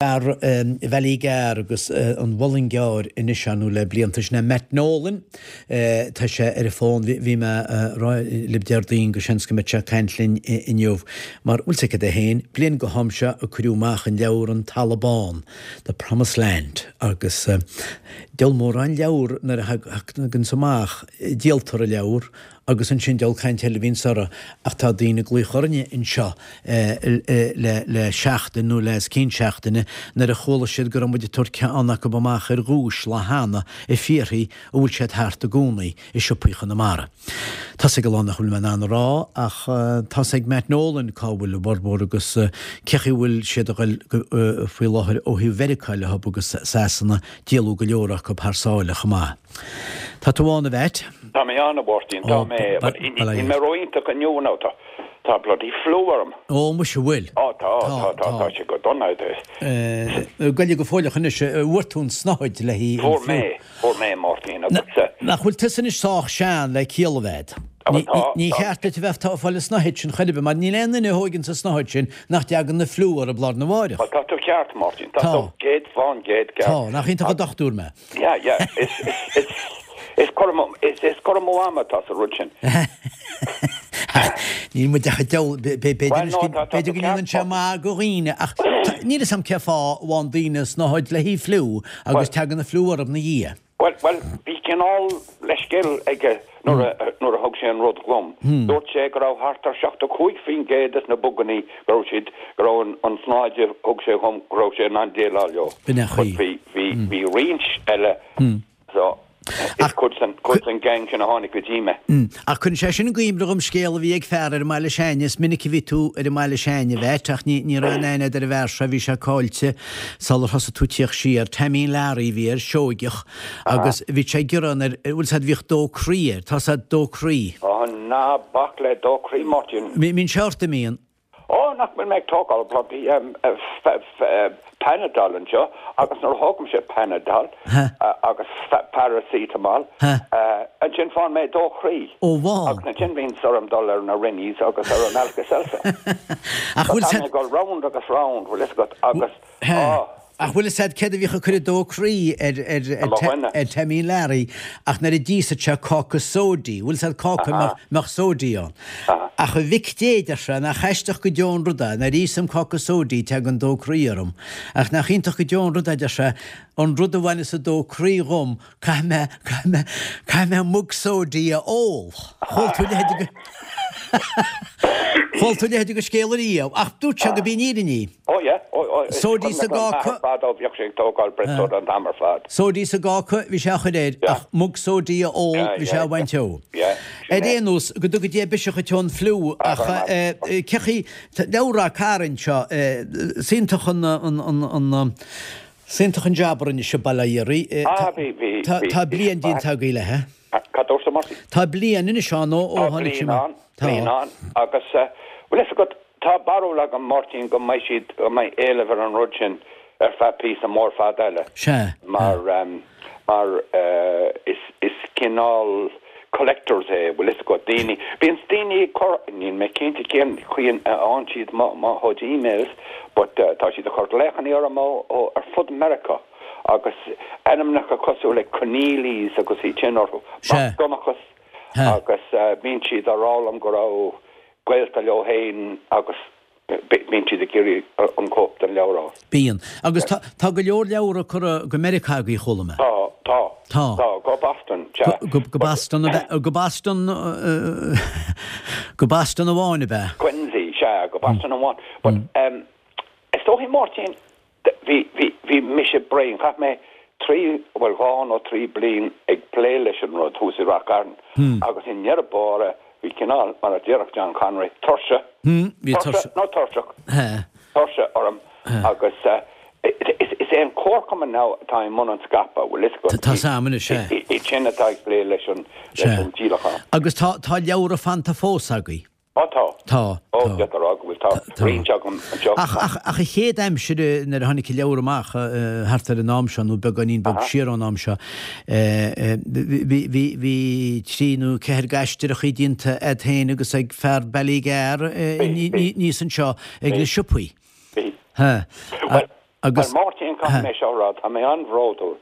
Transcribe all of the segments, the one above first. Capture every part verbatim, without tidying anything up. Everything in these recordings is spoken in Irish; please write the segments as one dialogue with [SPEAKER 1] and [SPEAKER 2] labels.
[SPEAKER 1] Fear Bhallygar agus an Mhullingar anois ann le blianta sin é Matt Nolan. Tá sé ar an bhfón, bhí mé a rá libh Déardaoin go seans go mbeadh sé ag caint linn inniu mar bhfuil 's agat é féin, bliain go ham seo a cuireadh amach an leabhar An Talamh Bán, The Promised Land, agus diabhal mórán leabhar nuair a thaganns amach, díoltar an leabhar agus ansin diabhal caint eile a bhíonns orthu ach tá daoine ag glaoch orainne anseo le le seachtain nó le os cionn seachtaine nuair a chuala siad go raibh muid ag tabhairt ceann acu amach ar dhuais lá cheana ag fiafraí an bhfuil siad thart i gcónaí i siopaí Chonamara. Tá's ag a lán nach bhfuil mé in ann a rá ach tá's ag Matt Nolan cá bhfuil a bhformhór agus cé chaoi a bhfuil siad a ghoil faoi láthair ó thaobh Mheiriceá leo agus Sasana díoladh go leor acu thar sáile chomh maith. Tá tú ann a Mhatt?
[SPEAKER 2] Tá mé ann, a Mháirtín, tá mé, but níl mé ró-iontach inniu now, tá, tá bloody flu orm.
[SPEAKER 1] Ó, muise, bhfuil?
[SPEAKER 2] Ó, tá, tá, tá, tá sé go dona.
[SPEAKER 1] Goile go fóilleach anois, bhfuair tú an tsnáthaid le haghaidh an
[SPEAKER 2] Fuair mé, fuair mé, a Mháirtín, agus.
[SPEAKER 1] Nach bhfuil tusa anois sách sean le ciall a bheith? Ní cheart duit a bheith ag fáil an tsnáthaid sin chor ar bith, mar níl aon duine a thóigeann an tsnáthaid sin nach dtagann an fliú orthu lá arna mháireach.
[SPEAKER 2] Bhuel, tá tú ceart, a Mháirtín, tá tú céad fán gcéad ceart.
[SPEAKER 1] Tá, nach iontach an dochtúir mé.
[SPEAKER 2] Yeah, yeah, is, is, is, is cur amú, is, is cur amú ama atá sa rud sin.
[SPEAKER 1] Níl muid ach ag diabhal, b'fhéidir b'fhéidir go ndéanann sé maith do dhaoine ach níl 'fhios a'm cé fáth a bhfaigheann daoine snáthaid le haghaidh fliú agus tagann an fliú orthu 'na dhiaidh.
[SPEAKER 2] Bhuel, bhuel, bhí cineál leithscéal aige nuair a, nuair a thug sé an rud dhom. Dúirt sé go raibh thart ar seachtó cúig faoin gcéad des na bugannaí go raibh siad, go raibh an, an tsnáthaid a thug sé dhom, go raibh sé in ann déileáil leo.
[SPEAKER 1] B'in é an
[SPEAKER 2] But
[SPEAKER 1] chaoi.
[SPEAKER 2] bhí, bhí, bhí roinnt eile, so is cuid den, cuid den gang sin a tháinig go dtí mé.
[SPEAKER 1] Ach cuireann sé sin i gcuimhne dhom scéal a bhí ag fear ar an mbaile s'a'inne. Is minic a bhí tú ar an mbaile s'a'inne, a Mhatt, ach ní, ní raibh aon aithne a'd ar an bhfear seo, bhí sé caillte sular thosaigh tú ag tíocht siar. Taimín Learaí a bhí air, Seoigeach, agus bhí sé ag gearán ar, bhfuil 's a'd, bhíodh dó croí air, tá 's a'd dó croí.
[SPEAKER 2] Ó, ná bac le dó croí, Máirtín.
[SPEAKER 1] Mbíonn sé ort, an mbíonn?
[SPEAKER 2] Ó, nach bhfuil mé ag tógáil bloody Panadol anseo agus nuair a thógaimse Panadol agus paracetamol, ansin faigheann mé dó chroí.
[SPEAKER 1] Ó, bhá.
[SPEAKER 2] Agus ansin bíonn orm dul ar na Rennies agus ar an Alka-Seltzer.
[SPEAKER 1] Ach bhfuil
[SPEAKER 2] Tá mé ag dul round agus round, bhfuil fhios agat, agus, á.
[SPEAKER 1] Ach bhfuil fhios a'd céard a bhíodh ag cur an dó croí ar ar Taimín Learaí ach nuair a d'íosfadh sé cáca sóidí, bhfuil fhios a'd cáca a mbeadh sóidí ann. Ach a mhic Dé, deir sé, nach aisteach go deo an rud é, nuair a íosaim cáca sóidí teagann dó croí orm. Ach nach iontach go deo an rud é, deir sé, an rud a bhaineas an dó croí dhom, caithfidh mé, caithfidh mé, caithfidh mé mug sóidí a ól. Chuala tú a leithéid de, chuala tú a leithéid de scéal ariamh. Ach dúirt sé go b'í an fhírinne í.
[SPEAKER 2] Ó yeah, ó ó is
[SPEAKER 1] Sóidí
[SPEAKER 2] cuimhin
[SPEAKER 1] sa
[SPEAKER 2] liom m'athair
[SPEAKER 1] gcáca.
[SPEAKER 2] fadó bhíodh sé ag tógáil breath soda an t-am ar fad.
[SPEAKER 1] Sóidí sa gcáca, bhí sé á chur air,
[SPEAKER 2] Yeah.
[SPEAKER 1] ach mug sóidí a ól,
[SPEAKER 2] Yeah,
[SPEAKER 1] bhí sé
[SPEAKER 2] yeah,
[SPEAKER 1] á bhaint
[SPEAKER 2] yeah.
[SPEAKER 1] ó.
[SPEAKER 2] Yeah, sin
[SPEAKER 1] Ar
[SPEAKER 2] é.
[SPEAKER 1] aon nós, go dtuga Dia biseach dhuit ón fliú,
[SPEAKER 2] Ah,
[SPEAKER 1] ach
[SPEAKER 2] go raibh maith
[SPEAKER 1] eh, cé chaoi, tá leabhar Ráth Cairn seo, eh, is iontach an, an, an, an, is iontach an jab a rinne sibh bail ó Dhia oraibh. Eh,
[SPEAKER 2] Ah,
[SPEAKER 1] tá,
[SPEAKER 2] bhí, bhí,
[SPEAKER 1] tá,
[SPEAKER 2] bhí,
[SPEAKER 1] tá
[SPEAKER 2] bhí
[SPEAKER 1] bliain
[SPEAKER 2] sé
[SPEAKER 1] déanta agaibh léi, eh?
[SPEAKER 2] Cad dúirt tú, Marty?
[SPEAKER 1] Tá bliain anois ann ó, ó
[SPEAKER 2] Tá
[SPEAKER 1] tháinig sé
[SPEAKER 2] bliain
[SPEAKER 1] amach.
[SPEAKER 2] ann,
[SPEAKER 1] Tá.
[SPEAKER 2] bliain ann, agus eh, bhfuil fhios agat, Tá barúil agam, Máirtín, go mbeidh siad, go mbeidh éileamh ar an rud sin ar feadh píosa mór fada eile.
[SPEAKER 1] Sea.
[SPEAKER 2] Mar, mar is, is cineál collectors é, bhfuil fhios agat, daoine, bíonns daoine ag cur, níl mé cinnte cén chaoi a fhaigheann siad mo, mo chuid emails, but tá siad ag cur glaochanna orm ó, ó, ar fud Meiriceá agus ainmneacha cosúil le Connealys agus iad sin orthu,
[SPEAKER 1] Sea.
[SPEAKER 2] Mac Donnchas
[SPEAKER 1] Sea.
[SPEAKER 2] agus bíonn siad á rá liom go raibh, gaolta leo féin agus bíonn siad ag iarraidh an cóip den leabhar a fháil.
[SPEAKER 1] Bíonn. Agus tá, tá go leor leabhar curtha go Meiriceá agaibh, chuala mé.
[SPEAKER 2] Tá, tá.
[SPEAKER 1] Tá.
[SPEAKER 2] Tá, go Boston, sea.
[SPEAKER 1] Go, go Boston, ab ea, go Boston, go Boston amháin, ab ea?
[SPEAKER 2] Quincy, sea, go Boston amháin. But, is dóichí, Máirtín, Bhí, bhí, bhí mise bréan. Chaith mé trí, bhuel dhá nó trí bliain ag plé leis an rud thuas i Ráth Cairn agus i ndeireadh báire bhí cineál, mar a déarfadh John Conroy, tuirse,
[SPEAKER 1] Bhí
[SPEAKER 2] tuirse
[SPEAKER 1] tuirse.
[SPEAKER 2] nó tuirseach,
[SPEAKER 1] He.
[SPEAKER 2] tuirse orm agus is, is é an Comharchumann now atá i mbun an scaipeadh, bhfuil fhios agat.
[SPEAKER 1] Tá 's a'm anois, sea.
[SPEAKER 2] Iad sin atá ag plé leis an, leis an díolachán.
[SPEAKER 1] Agus tá, tá leabhra fanta fós agaibh.
[SPEAKER 2] Ó tá.
[SPEAKER 1] Tá.
[SPEAKER 2] Ó, d'fhéadfá a rá go bhfuil, tá roinnt agam anseo.
[SPEAKER 1] Ach, ach, ach an chéad aimsir nuair a tháinig an leabhar amach thart ar an am seo, nó beagáinín beag siar ón am seo, bhí, bhí, bhí trí nó ceathair d'aisteoireachtaí déanta a'd féin agus ag fear Ballygar aníos anseo ag na siopaí.
[SPEAKER 2] Bhí.
[SPEAKER 1] Ha.
[SPEAKER 2] Bhuel,
[SPEAKER 1] Agus
[SPEAKER 2] Well, Máirtín, caithfidh mé seo a rá, tá mé an-bhródúil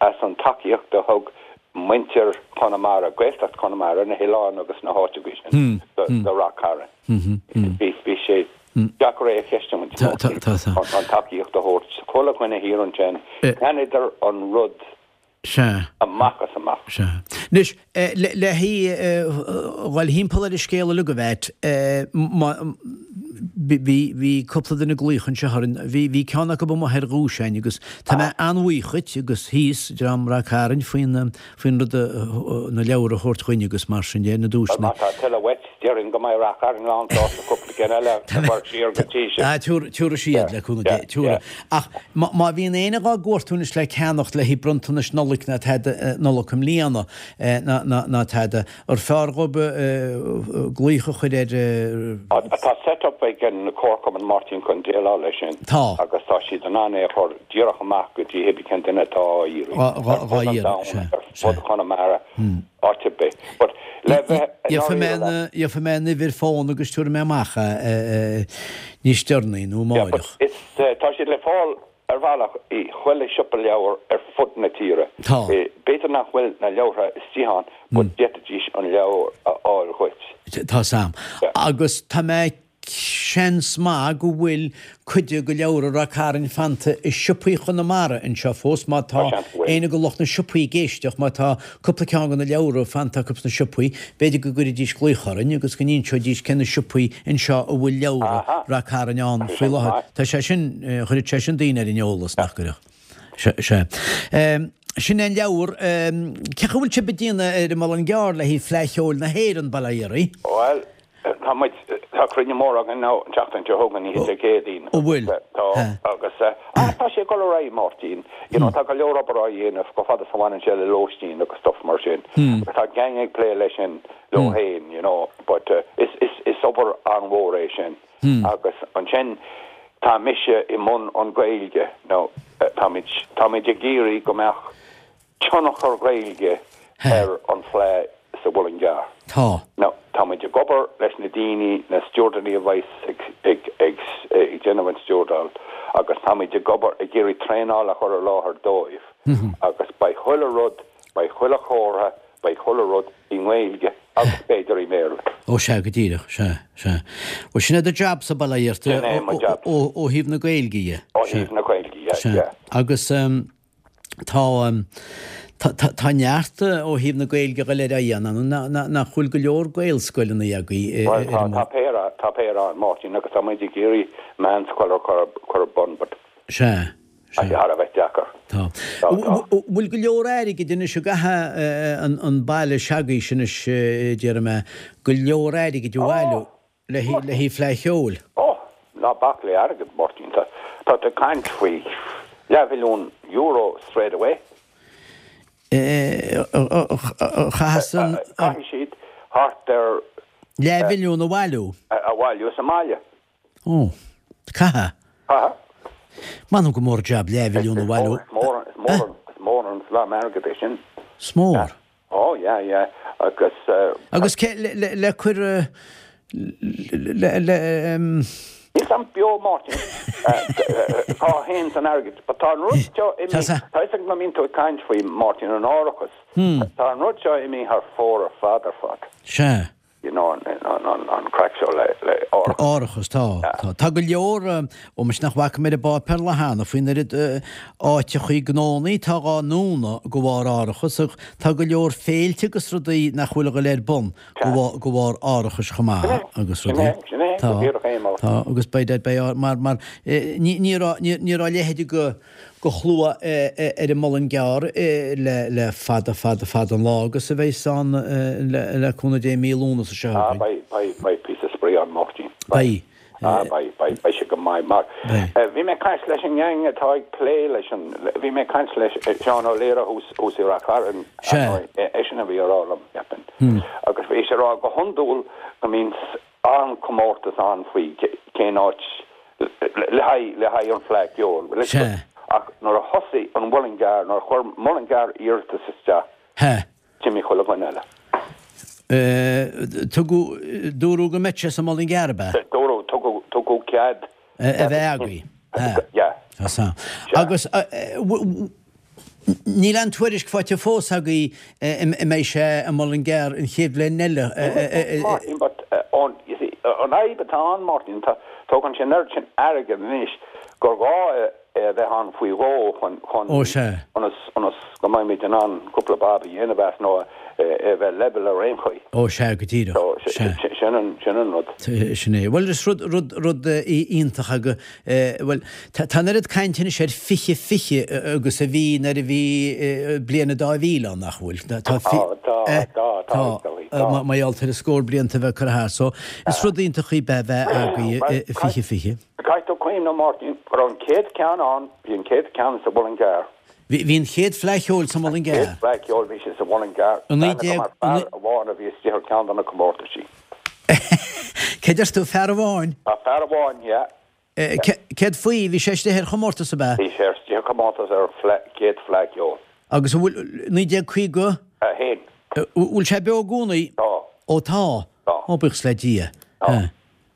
[SPEAKER 2] as an tacaíocht a thug muintir Chonamara, Gaeltacht Chonamara, na hoileáin agus na háiteacha sin do Rath Cairn. Bhí bhí sé deacair é a cheistiú
[SPEAKER 1] Tá- tá- tá- tá.
[SPEAKER 2] an tacaíocht a thabhairt. Chuile dhuine thiar ansin, cheannaíodar an rud
[SPEAKER 1] Sea.
[SPEAKER 2] amach as amach.
[SPEAKER 1] Sea. Anois, le le dhul thimpeall ar an scéal uilig a Mhatt, bhí bhí cúpla duine ag glaoch anseo orainn, bhí bhí ceann acu amuigh ar dhuais againn agus tá mé an-bhuíoch dhuit agus thíos, dream Rath Cairn faoin faoin rud a na leabhair a thabhairt chugainn agus mar sin de, na duaiseanna.
[SPEAKER 2] Má tá tuilleadh uait, déarfainn go mbeidh Rath Cairn lán sásta cúpla ceann eile a chur siar go dtí sin.
[SPEAKER 1] Ah, tabharfaidh siad le cúnamh Dé, tabharfaidh. Ach má má bhíonn éinne dhá gcuartú anois le ceannacht le haghaidh bronntanais Nollag ná tada Nollag i mbliana ná ná ná tada, ar fearr dhóibh glaoch a chur ar
[SPEAKER 2] Tá set-up ag an Comharchumann Máirtín chun déileáil leis sin.
[SPEAKER 1] Tá.
[SPEAKER 2] Agus tá siad in ann é a chur díreach amach go dtí cibé cén duine atá á iarraidh.
[SPEAKER 1] Dhá dhá
[SPEAKER 2] Ar fud an
[SPEAKER 1] iarraidh,
[SPEAKER 2] domhain,
[SPEAKER 1] sea,
[SPEAKER 2] ar
[SPEAKER 1] sea.
[SPEAKER 2] fud Chonamara, áit ar bith. But le bheith
[SPEAKER 1] Gheobhaidh mé
[SPEAKER 2] dáiríre
[SPEAKER 1] na gheobhaidh mé an uimhir fón agus tabharfaidh mé amach é níos deireanaí nó
[SPEAKER 2] Yeah, but
[SPEAKER 1] amárach.
[SPEAKER 2] it's, uh, tá siad le fáil ar bhealach i chuile siopa leabhar ar fud na tíre.
[SPEAKER 1] Tá.
[SPEAKER 2] Eh, B'fhéidir nach bhfuil na leabhartha istigh ann, but d'fhéadfaidís an leabhar a fháil dhuit.
[SPEAKER 1] Tá sam.
[SPEAKER 2] Yeah.
[SPEAKER 1] Agus tá mé seans maith go bhfuil cuid de leabhra Rath Cairn fanta i siopaí Chonamara anseo fós má tá
[SPEAKER 2] Tá seans go bhfuil.
[SPEAKER 1] éinne de lucht na siopaí ag éisteacht má tá cúpla ceann de na leabhra fanta acu sna siopaí, b'fhéidir go gcuirfidís glaoch orainn agus go n-inseoidís cé na siopaí anseo a bhfuil leabhra
[SPEAKER 2] Aha.
[SPEAKER 1] Rath Cairn ann
[SPEAKER 2] Tá
[SPEAKER 1] faoi
[SPEAKER 2] sé
[SPEAKER 1] láthair.
[SPEAKER 2] maith.
[SPEAKER 1] Tá sé sin eh, chuirfeadh sé sin daoine ar an eolas nach gcuirfeadh. Se se. Um, sin an leabhar um, cé go bhfuil sibh ag déanamh ar an Muileann gCearr le haghaidh Fleadh Cheoil na hÉireann bail ó Dhia oraibh?
[SPEAKER 2] Well, tá muid tá cruinniú mór againn ná an tseachtain seo chugainn oíche Dé Céadaoin.
[SPEAKER 1] Ó bhfuil?
[SPEAKER 2] Tá agus eh, ah, tá sé ag dul ar aghaidh Máirtín. You know, tá go leor obair á dhéanamh go fada is a bhaineann sé le lóistín agus stuff mar sin. Agus tá gang ag plé leis sin leo féin, you know, but uh, is is is obair an-mhór é sin. Agus ansin tá mise i mbun an Ghaeilge nó eh, táimid táimid ag iarraidh go mbeadh tionchar Gaeilge ar an Fleadh sa Mhuileann gCearr.
[SPEAKER 1] Tá.
[SPEAKER 2] Now, táimid ag obair leis na daoine na stiúrthóirí a bheas ag ag ag ag déanamh an stiúrdáil agus táimid ag obair ag iarraidh traenáil a chur i láthair dóibh agus beidh chuile rud beidh chuile chomhartha beidh chuile rud i nGaeilge agus b'fhéidir i mBéarla.
[SPEAKER 1] Ó sea go díreach sea sea. Ó sin é do jab sa bail ó Dhia ort
[SPEAKER 2] Sin é mo jab.
[SPEAKER 1] ó ó thaobh na Gaeilge dhe.
[SPEAKER 2] Ó thaobh na Gaeilge, yeah,
[SPEAKER 1] Sea.
[SPEAKER 2] yeah.
[SPEAKER 1] Agus um, tá um, tá tá tá neart ó thaobh na Gaeilge go léir á dhéanamh nach bhfuil go leor Gaelscoileanna agaibh
[SPEAKER 2] Well, tá tá péire tá péire ann Máirtín agus táimid ag iarraidh meánscoil a chur chur ar bun, but
[SPEAKER 1] Sea.
[SPEAKER 2] tá sé thar a bheith deacair.
[SPEAKER 1] Tá.
[SPEAKER 2] Tá, tá.
[SPEAKER 1] Bhfuil go leor airgid anois a gcaithfidh an an baile s'agaibh anois déarfaidh mé go leor airgid a bhailiú le le haghaidh Fleadh Cheoil.
[SPEAKER 2] Ó, ná bac le airgead Máirtín tá tá tú ag caint faoi leathmhilliún euro straight away.
[SPEAKER 1] Chaithfeas
[SPEAKER 2] Caithfidh siad thart ar
[SPEAKER 1] leathmhilliún a bhailiú.
[SPEAKER 2] a bhailiú sa mbaile.
[SPEAKER 1] Ó, caithfidh.
[SPEAKER 2] Aha.
[SPEAKER 1] M'anam go mór jab leathmhilliún a bhailiú.
[SPEAKER 2] Is mór is mór is mór an slám airgead é sin.
[SPEAKER 1] Is mór.
[SPEAKER 2] Ó, yeah, yeah. Agus uh,
[SPEAKER 1] Agus ce le le le cur le le um,
[SPEAKER 2] Níl am beo Máirtín cá théann an airgead, but tá an rud seo
[SPEAKER 1] Tá sa-
[SPEAKER 2] Tá ag na mín tú caint faoi Máirtín an árachas. Tá an rud seo imithe thar fóir ar fad ar fad.
[SPEAKER 1] Sea.
[SPEAKER 2] You know, an an an an craic seo le le árachas.
[SPEAKER 1] Árachas tá tá Tá go leor ó mis nach bhfaca mé i bpáipéar le cheana faoin oiread áiteachaí gnónnaí tá á ndúnadh de bharr árachas ach tá go leor féilte agus rudaí nach bhfuil go léir bun de bharr árachais chomh maith agus rudaí.
[SPEAKER 2] Sin é,
[SPEAKER 1] Tá
[SPEAKER 2] go díreach é, mar.
[SPEAKER 1] Tá agus beidh beidh mar mar ní ní ní raibh leithéid de de shlua ar an Muileann gCearr le le fada fada fada an lá agus a bheidh san le le cúnamh Dé mí Lúnasa seo.
[SPEAKER 2] Ah, beidh beidh beidh píosa spraoi ann Máirtín.
[SPEAKER 1] Beidh.
[SPEAKER 2] Ah, beidh beidh beidh sé go maith mar. Bhí mé caint leis an gang atá ag plé leis an bhí mé caint leis Seán Ó Laoire thuas i Rath Cairn é sin a bhí á rá liom ceapaim. Agus bhí sé rá go hiondúil go mbíonn an-chomórtas ann faoi cén áit le haghaidh le haghaidh an Fleadh Cheoil.
[SPEAKER 1] Sea.
[SPEAKER 2] Ach nuair a thosaigh an Muileann gCearr nuair a chuir Muileann gCearr iarratas isteach.
[SPEAKER 1] He.
[SPEAKER 2] D'imigh chuile dhuine eile.
[SPEAKER 1] Tugadh dúradh go mbeadh sé sa Muileann gCearr ab ea?
[SPEAKER 2] Dúradh tugadh tugadh cead
[SPEAKER 1] A bheith agaibh.
[SPEAKER 2] Yeah.
[SPEAKER 1] Tá san. Agus níl aon tuairisc faighte fós agaibh an mbeidh sé i Mullingar an chéad bhliain eile.
[SPEAKER 2] Martin, but an fhadhb atá ann, Martin, tá tógann sé an oiread sin airgead anois gur gá é a bheith ann faoi dhó chun chun
[SPEAKER 1] Ó sea.
[SPEAKER 2] ionas ionas go mbeimid in ann cúpla bob a dhéanamh as nó é a bheith level ar aon chaoi.
[SPEAKER 1] Ó sea, go díreach.
[SPEAKER 2] So
[SPEAKER 1] Sea.
[SPEAKER 2] sin an sin an rud.
[SPEAKER 1] Sin é. Bhuel is rud rud rud iontach agus bhuel tá an oiread cainte anois ar fiche fiche agus a bhí nuair a bhí bliain a dá mhíle ann nach bhfuil. Tá
[SPEAKER 2] Tá tá tá tá tá.
[SPEAKER 1] Mar gheall ar an scór blianta a bheith curtha thart. So is rud iontach í bheith agaibh fiche fiche.
[SPEAKER 2] Caithfidh tú cuimhneamh Martin go raibh an chéad ceann ann, bhí an chéad ceann sa Mhullingar.
[SPEAKER 1] Bhí bhí an chéad Fleadh Cheoil sa Mhullingar.
[SPEAKER 2] Chéad Fleadh Cheoil bhí sé sa Mhullingar.
[SPEAKER 1] An naoi déag
[SPEAKER 2] Mar fear amháin a bhí istigh ar ceann de na comórtaisí.
[SPEAKER 1] Cé deir tú fear amháin?
[SPEAKER 2] A fear amháin, yeah.
[SPEAKER 1] Céard faoi bhí sé istigh ar chomórtas ab ea?
[SPEAKER 2] Bhí sé istigh ar chomórtas ar chéad Fleadh Cheoil.
[SPEAKER 1] Agus an bhfuil naoi déag caoga?
[SPEAKER 2] A haon.
[SPEAKER 1] Bhfuil sé beo i gcónaí?
[SPEAKER 2] Tá.
[SPEAKER 1] Ó tá.
[SPEAKER 2] Tá.
[SPEAKER 1] Ó buíochas le Dia.
[SPEAKER 2] Tá.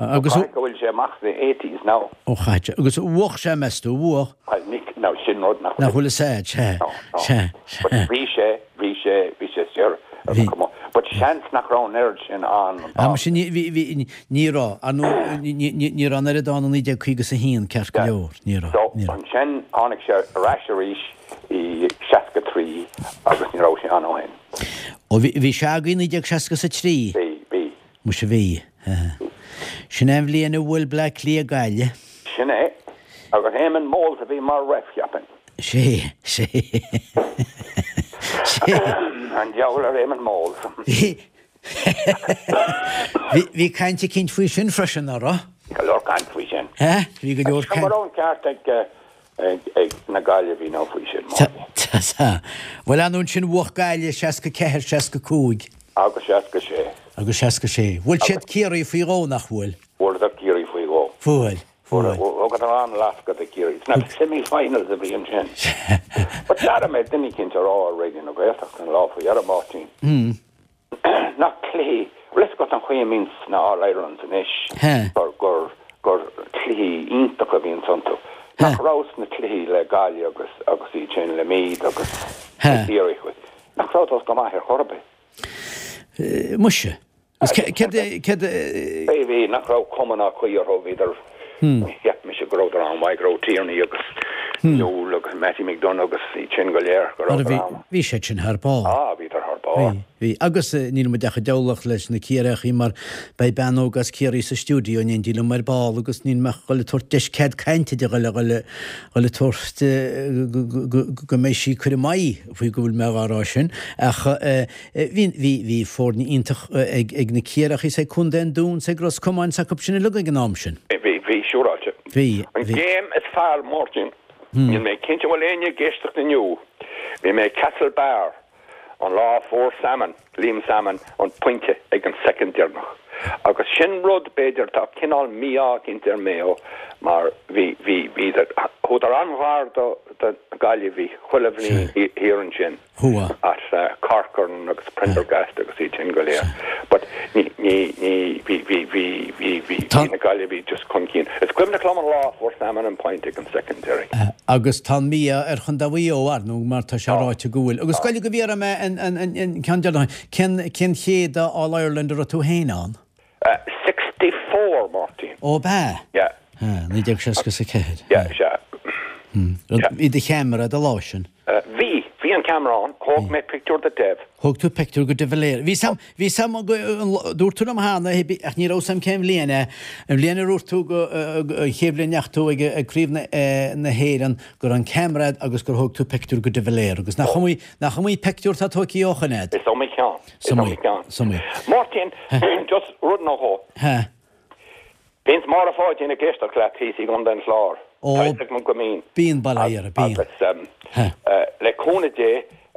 [SPEAKER 1] Agus
[SPEAKER 2] go bhfuil sé amach sna eighties now.
[SPEAKER 1] Ó chaite. Agus bhuaigh sé meas tú, bhuaigh?
[SPEAKER 2] Well ní now sin rud nach
[SPEAKER 1] Nach bhfuil a fhios agat, sea, sea,
[SPEAKER 2] But
[SPEAKER 1] sea.
[SPEAKER 2] bhí sé, bhí sé, bhí sé istigh ar
[SPEAKER 1] Bhí.
[SPEAKER 2] But seans nach raibh an oiread sin ann an
[SPEAKER 1] Ah, sin ní bhí bhí ní raibh, ar nó ní ní ní raibh an oiread ann i naoi déag caoga is a haon ceart go leor, ní raibh,
[SPEAKER 2] So
[SPEAKER 1] ní raibh.
[SPEAKER 2] ansin tháinig sé ar ais arís i seasca trí agus ní raibh sé ann ó shin.
[SPEAKER 1] Ó bhí bhí sé agaibh i naoi déag seasca is a trí?
[SPEAKER 2] Bhí, bhí.
[SPEAKER 1] Muise bhí. Sin é an bhliain a bhuail Bleá Cliath Gaillimh.
[SPEAKER 2] Sin é. Agus Éamonn Moles a bhí mar ref, cheapfainn.
[SPEAKER 1] Sé, sé. Sé.
[SPEAKER 2] An diabhal ar Éamonn Moles.
[SPEAKER 1] Bhí Bhí bhí caint eicínt faoi sin freisin, nach raibh?
[SPEAKER 2] Bhí go leor caint faoi sin.
[SPEAKER 1] Hé? Bhí go leor
[SPEAKER 2] Go
[SPEAKER 1] caint.
[SPEAKER 2] raibh an ceart ag ag ag na Gaillimhigh nó faoi sin.
[SPEAKER 1] Tá, tá. Bhuel an sin bhuaigh Gaillimh seasca ceathair, seasca cúig.
[SPEAKER 2] Agus seasca sé.
[SPEAKER 1] Agus seasca sé. Bhuail siad Ciarraí faoi dhó nach bhfuil?
[SPEAKER 2] Bhuaileadar Ciarraí faoi dhó.
[SPEAKER 1] Bhuail, bhuail.
[SPEAKER 2] Thugadar an-lascadh do Chiarraí. Sna semi-finals a bhí ansin. But d'airigh mé duine eicínt ag rá ar Raidió na Gaeltachta an lá faoi dheireadh, Máirtín. Nach cluichí, bhfuil fhios agat an chaoi a mbíonn sna All Irelands anois gur gur gur cluichí iontacha a bhíonn iontu. Nach raibh sna cluichí le Gaillimh agus agus iad sin le Meath agus le Ciarraí. Nach rabhthas go maith ar chor ar bith.
[SPEAKER 1] Muise. Agus céard céard
[SPEAKER 2] Bhí bhí nach raibh cuma ná caoi orthu bhíodar cheap mise go rabhadar an-mhaith go raibh Tierney agus Newell agus Mattie McDonagh agus iad sin go léir go
[SPEAKER 1] Mar
[SPEAKER 2] rabhadar
[SPEAKER 1] bhí
[SPEAKER 2] an.
[SPEAKER 1] bhí siad sin thar barr.
[SPEAKER 2] Ah, bhíodar thar barr.
[SPEAKER 1] Bhí, bhí. Agus níl muid ach ag diabhlaíocht leis na Ciarraíochaí mar beidh bean óg as Ciarraí sa stiúideo in éindí liom ar ball agus níl mé ach dhul ag tabhairt deis cead cainte di dhul dhul dhul ag tabhairt go go mbeidh sí curtha amach faoi go bhfuil mé á rá sin ach bhí bhí bhí foirne iontach ag ag na Ciarraíochaí is ag Contae an Dúin is ag Ros Comáin is acu sin uilig ag an am sin.
[SPEAKER 2] Bhí bhí siúráilte.
[SPEAKER 1] Bhí,
[SPEAKER 2] An
[SPEAKER 1] bhí.
[SPEAKER 2] game is fearr Máirtín. Níl mé cinnte bhfuil éinne ag éisteacht inniu. Bhí mé Castlebar an lá fuair Salmon, Liam Salmon an pointe ag an soicind deireanach. Agus sin rud b'fhéidir tá cineál mí-ádh eicínt ar Mayo mar bhí bhí bhíodar chuadar an-ghar do do Gaillimhigh chuile bhliain thiar ansin.
[SPEAKER 1] Chuaigh.
[SPEAKER 2] As uh, Corcoran agus Prendergast agus iad sin go léir. But ní ní ní bhí bhí bhí bhí bhí
[SPEAKER 1] Tá-
[SPEAKER 2] bhí na Gaillimhigh just chun cinn. Is cuimhneach liom an lá fuair Salmon an point ag an soicind deiridh.
[SPEAKER 1] Agus tá mí-ádh ar Chontae Mhaigh Eo ar ndóigh mar tá sé ráite go bhfuil. Agus goil go bhí mé an an an an ceann deireanach cén cén chéad All Ireland a raibh tú féin ann?
[SPEAKER 2] Uh, sixty-four, Martin.
[SPEAKER 1] Ó b'ea?
[SPEAKER 2] Yeah.
[SPEAKER 1] Naoi déag seasca is a ceathair.
[SPEAKER 2] Yeah, sea.
[SPEAKER 1] Bhí do cheamara do lá sin.
[SPEAKER 2] Uh, bhí, bhí an ceamara ann, thóg mé pictiúr de Dev.
[SPEAKER 1] Thóg tú pictiúr go de Valera. Bhí sam bhí sam dúirt tú liom cheana ach ní raibh sam cén bhliain é. An bhliain a dúirt tú go an chéad bhliain a ndeachaigh tú ag ag Craobh na na hÉireann go raibh an ceamara agus gur thóg tú pictiúr go de Valera agus nach iomaí nach iomaí pictiúr tá tógtha ó shin agat.
[SPEAKER 2] Is iomaí ceann. Is
[SPEAKER 1] Is iomaí
[SPEAKER 2] iomaí ceann.
[SPEAKER 1] Is iomaí.
[SPEAKER 2] Martin, just rud nó dhó.
[SPEAKER 1] Ha.
[SPEAKER 2] Bíonn Máire Pháidín ag éisteacht leat thíos i gContae an Chláir.
[SPEAKER 1] Ó,
[SPEAKER 2] Tá fhios agam go mbíonn.
[SPEAKER 1] Bíonn bail ó Dhia uirthi, bíonn.
[SPEAKER 2] Agus um, uh, le cúnamh Dé,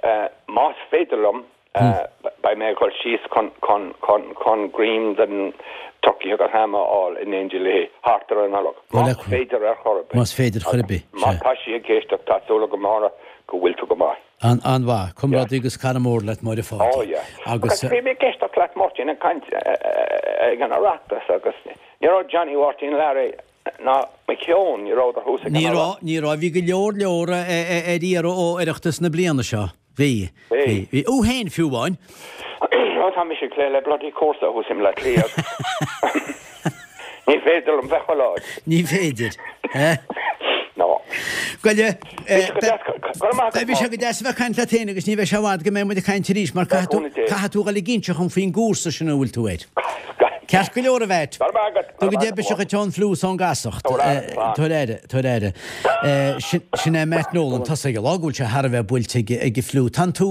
[SPEAKER 2] uh, más féidir liom, uh, beidh mé ag dul síos chun, chun, chun, chun greim den turkey agus ham a fháil in éindí léi thart ar an Nollaig.
[SPEAKER 1] Bhuel,
[SPEAKER 2] Más féidir ar chor ar bith.
[SPEAKER 1] Más féidir chor ar bith,
[SPEAKER 2] Má
[SPEAKER 1] sea.
[SPEAKER 2] tá sí ag éisteacht, tá súil agam Máire go bhfuil tú go maith.
[SPEAKER 1] An an-mhaith, comrádaí agus cara mór leat Máire Pháidín.
[SPEAKER 2] Oh, yeah.
[SPEAKER 1] Agus
[SPEAKER 2] Agus bhí mé ag éisteacht leat Máirtín ag caint ag an Oireachtas agus ní raibh Johnny Mháirtín Larry ná mo cheann, ní rabhadar thuas ag an
[SPEAKER 1] Ní
[SPEAKER 2] halla.
[SPEAKER 1] raibh, ní raibh, bhí go leor leor ar iarraidh ó Oireachtas na bliana seo. Bhí, bhí, bhí. Thú féin fiú amháin.
[SPEAKER 2] Ó tá mise ag plé le bloody cúrsa thuas i mBleá Cliath. Ní féidir liom bheith chuile áit.
[SPEAKER 1] Ní féidir. Eh?
[SPEAKER 2] No.
[SPEAKER 1] Bhuel,
[SPEAKER 2] Beidh
[SPEAKER 1] sé go deas a bheith ag caint leat féin agus ní bheidh sé i bhfad go mbeidh muid ag caint arís mar caithfidh tú dhul ag inse dhom faoin gcúrsa sin a bhfuil tú air. Ceart go leor a Mheait. Tuga Dé biseach duit ón fliú is ón gcasacht. Tabhair aire, tabhair aire. Sin é Matt Nolan, tá a fhios ag an lá go bhfuil sé thar a bheith buailte ag an fliú. Tá an tús